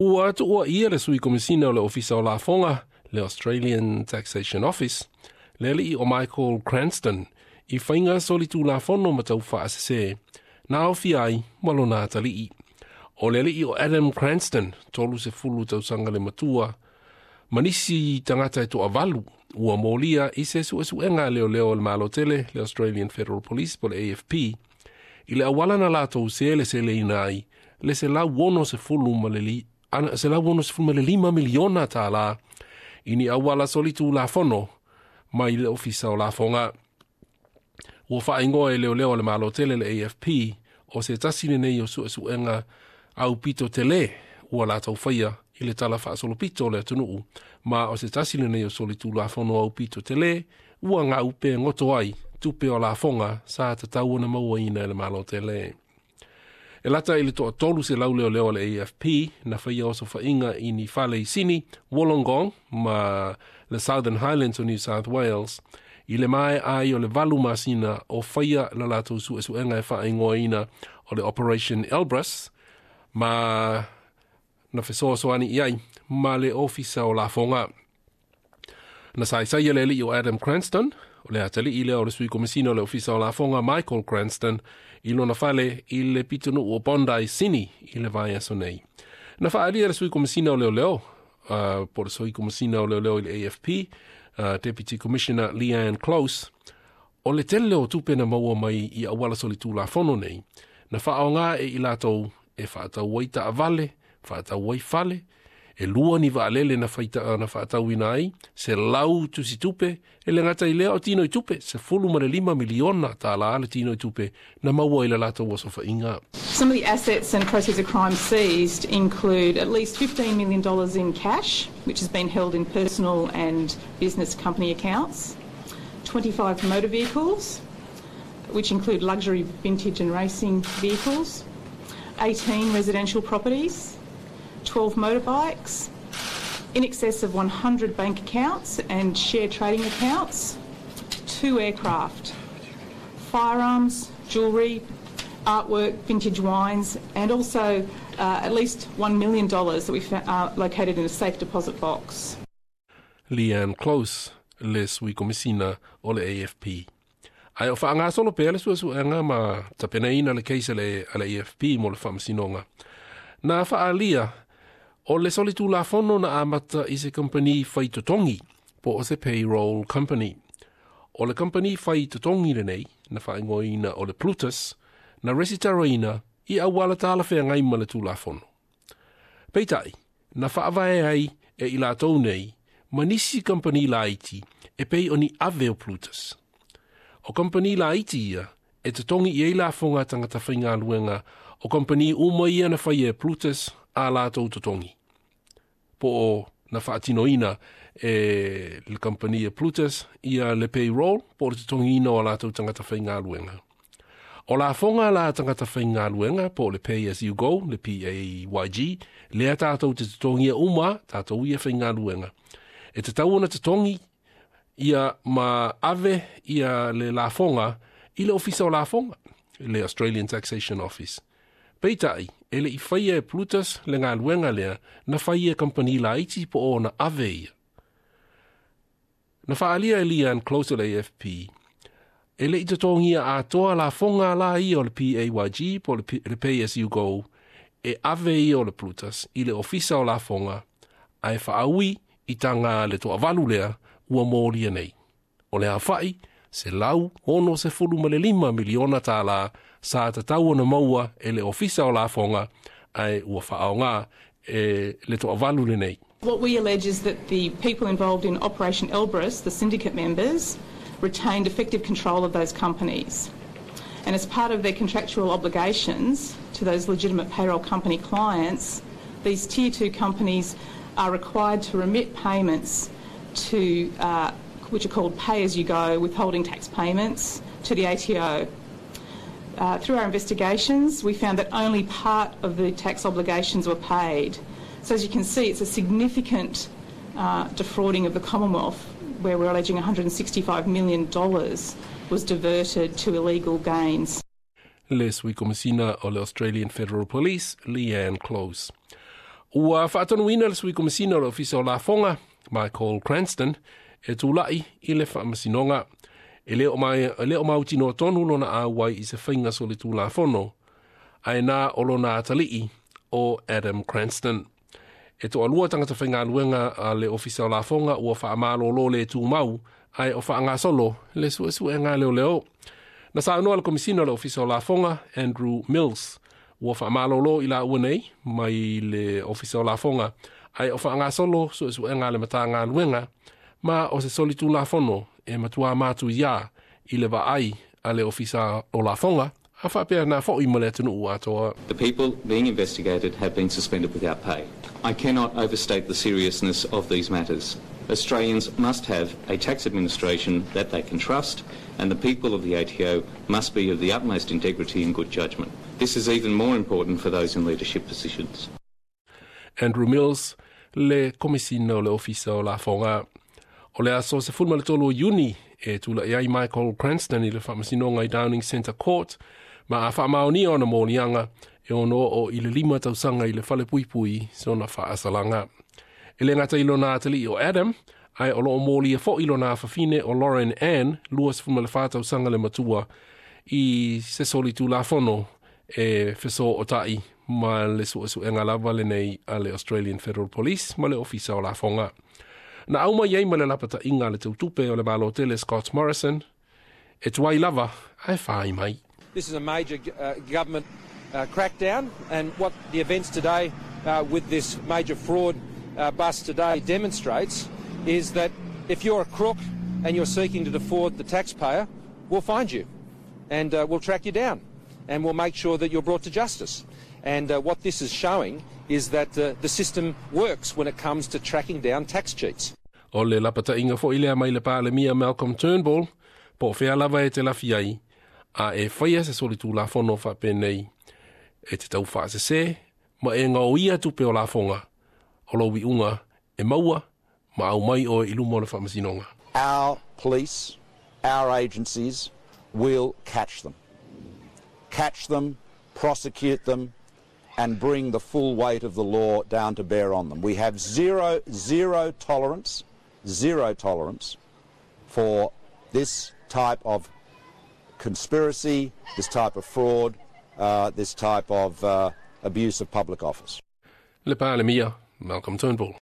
Ua tuuaia le sui komisina o le Ofisa o Lafoga, le Australian Taxation Office, le alii o Michael Cranston, i faiga solitulafono ma taufaasese, na aofia ai ma lona atalii. O le alii o Adam Cranston, 30 tausaga le matua, ma nisi tagata e toavalu, ua molia i se suesuega a leoleo o le Malo tele, le Australian Federal Police po le AFP, i le auala na latou seleseleina ai le $165 miliona tālā i ni auala solitulafono mai le Ofisa o Lafoga. Ua faaigoa e leoleo a le Malo tele le AFP o se tasi lenei o suesuega aupito tele ua latou faia i le tala faasolopito o le atunuu, ma o se tasi lenei o solitulafono aupito tele ua gaupe goto ai tupe o lafoga sa tatau ona mauaina e le Malo tele. E lata i le 300 leoleo o le AFP na faia osofaiga i ni fale i Sini, Wollongong ma le Southern Highlands o New South Wales i le maea ai o le 8 masina o faia le latou suesuega e faaigoaina o le Operation Elbrus, ma na fesoasoani i ai ma le Ofisa o Lafoga. Na saisai le alii o Adam Cranston, o le atalii lea o le sui komisina o le Ofisa o Lafoga Michael Cranston, i lona fale i le pitonuu o Bondi, Sini, i le vaiaso nei. Na faaalia le sui komisina o leoleo, po le sui komisina o leoleo i le AFP, Deputy Commissioner Leanne Close, o le tele o tupe na maua mai i auala solitulafono nei, na faaoga e i latou e faatau ai taavale, faatau ai fale, e 2 ni vaalele na faatauina ai, 100 tusi tupe, e le gata i lea o tino i tupe, $15 miliona tālā le tino i tupe na maua i le latou osofaiga. Some of the assets and proceeds of crime seized include at least $15 million in cash, which has been held in personal and business company accounts, 25 motor vehicles, which include luxury vintage and racing vehicles, 18 residential properties, 12 motorbikes, in excess of 100 bank accounts and share trading accounts, 2 aircraft, firearms, jewellery, artwork, vintage wines, and also at least $1 million that we located in a safe deposit box. Leanne Close, le sui komisina o le AFP. Ae o faangasolo pea le suesuega ma tapenaina le case a le AFP mo le faamasinoga. Na faalia o le solitulafono na amata i se company whaitotongi po o se payroll company. O le company whaitotongi lenei na whaingoina o le Plutus na resitaraina i auala talawheangai ma le tulafono. Peitai, na whaavae ai e i latou nei ma nisi company laiti e pei o ni ave o Plutus. O company laiti ia e totongi i ei lafoga tangata whaingaluenga o company uma ia na whai e Plutus a latou totongi. Po o na whaatinoina e le company e Plutus ia le payroll po o le totongiina o latou tangata whaingaluenga. O lafoga la tangata whaingaluenga po o le pay as you go, le PAYG, lea tātou te totongia uma, tātou ia whaingaluenga. E te tau ona totongi ia ma ave ia le lafoga i le ofisa o lafoga, le Australian Taxation Office. Peitai, e le i whaia e Plutus le ngaluenga lea, na whaia e company laiti po o na ave ia. Na whaalia e Leanne Close o le AFP, e le i totongia atoa lafoga la ia o le PAYG po le Pay As You Go, e ave ia o le Plutus i le ofisa o lafoga, ae whaaui i tanga le toavalu lea ua molia nei. O le awhai, $165 miliona tālā sa tatau ona maua e le ofisa o lafoga ae ua faaoga e le toavalu lenei. What we allege is that the people involved in Operation Elbrus, the syndicate members, retained effective control of those companies. And as part of their contractual obligations to those legitimate payroll company clients, these Tier 2 companies are required to remit payments to which are called pay-as-you-go withholding tax payments to the ATO. Through our investigations, we found that only part of the tax obligations were paid. So as you can see, it's a significant defrauding of the Commonwealth, where we're alleging $165 million was diverted to illegal gains. Le sui komisina o le Australian Federal Police, Leanne Close. Ua faatonuina le sui komisina o le Ofisa o Lafoga, Michael Cranston, e tula'i i le faamasinoga. E le o mautinoa tonu lona auai i se faiga solitulafono, ae na o lona atalii o Adam Cranston. E toalua tagata faigaluega a le Ofisa o Lafoga ua faamalōlō le tumau, ae o faagasolo le suesuega leoleo. Na saunoa le komisina o le Ofisa o Lafoga, Andrew Mills, ua faamalōlō i laua nei mai le Ofisa o Lafoga, ae o faagasolo suesuega a le Matagaluega, ma o se solitulafono e matua matuia i le vaai a le Ofisa o Lafoga, a faapea na fo'i ma le atunuu atoa. The people being investigated have been suspended without pay. I cannot overstate the seriousness of these matters. Australians must have a tax administration that they can trust, and the people of the ATO must be of the utmost integrity and good judgment. This is even more important for those in leadership positions. Andrew Mills, le komisina o le Ofisa o Lafoga. O le aso 13 o Iuni e tula'i ai Michael Cranston i le faamasinoga i Downing Centre Court, ma a faamaonia ona moliaga e ono oo i le 5 tausaga i le falepuipui sona faasalaga. E le gata i lona atalii o Adam, ae o loo molia fo'i lona afafine o Lauren Ann, 24 tausaga le matua, i se solitulafono e fesootai ma le suesuega lava lenei a le Australian Federal Police ma le Ofisa o Lafoga. Na au mai ai ma le lapata'iga le tautupe o le Malo tele Scott Morrison, e tuai lava ae fai mai. This is a major government crackdown, and what the events today with this major fraud bust today demonstrates is that if you're a crook and you're seeking to defraud the taxpayer, we'll find you and we'll track you down and we'll make sure that you're brought to justice. And what this is showing is that the system works when it comes to tracking down tax cheats. O le lapata'iga fo'i lea mai le Palemia Malcolm Turnbull, po o fea lava e te lafi ai, a e faia se solitulafono faapenei, e te tau faasesē ma e gaoia tupe o lafoga, o lou iuga e maua ma aumai oe i luma o le faamasinoga. Our police, our agencies will catch them. Catch them, prosecute them, and bring the full weight of the law down to bear on them. We have zero, zero tolerance, zero tolerance for this type of conspiracy, this type of fraud, this type of abuse of public office. Le Palemia, Malcolm Turnbull.